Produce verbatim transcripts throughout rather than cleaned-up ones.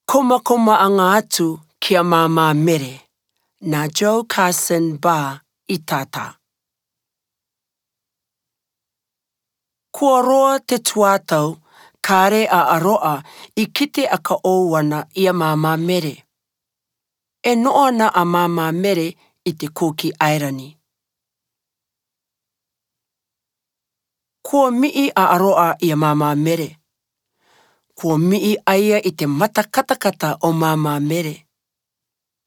Komakomaʻaga atu ki a māmā Mere, na Joe Carson Barr i tata. Kua roa te tuatau, kare a Aroa i kite aka oua na i a māmā Mere. E noʻo na a māmā Mere i te Kuki Aera ni. Kua miʻi a Aroa i a māmā Mere. Kua miʻi a ia i te mata katakata o māmā Mere.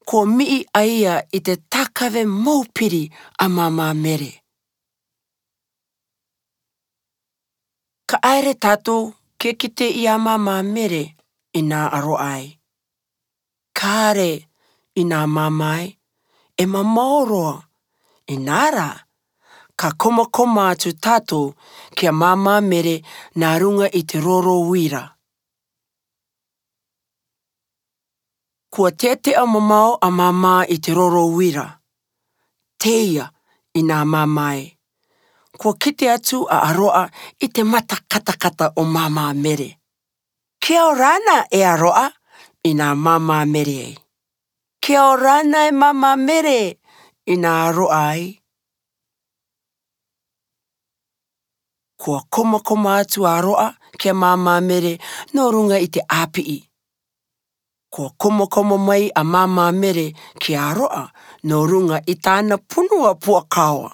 Kua miʻi a ia i te takave mau piri a māmā Mere. Ka ʻaere tatou ke kite i a māmā Mere, ʻinā Aroa ē. Kare, ʻinā māmā ē, e mamao roa. ʻInā rā, ka komakoma atu tatou ki a māmā Mere nā ruga i te roro uira. Kua teteʻa mamao a māmā i te roro uira. Teia, ʻinā māmā ē. Kua kite atu a Aroa i te mata katakata o māmā Mere. Kia ora na e Aroa, ʻinā māmā Mere ē. Kia ora na e māmā Mere, ʻinā Aroa ē. Kua komakoma atu a Aroa ki a māmā Mere nō ruga i te ʻāpiʻi. Kua komakoma mai a māmā Mere ki a Aroa nō ruga i tāna punua puakaoa.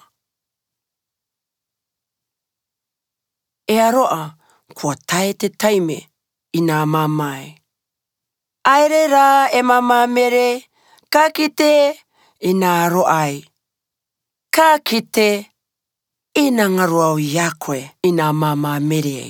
E Aroa, kua tae te taime, ʻinā māmā ē. ʻAere rā e māmā Mere, ka kite, ʻinā Aroa ē. Ka kite, ʻinā garo au i a koe, ʻinā māmā Mere ē.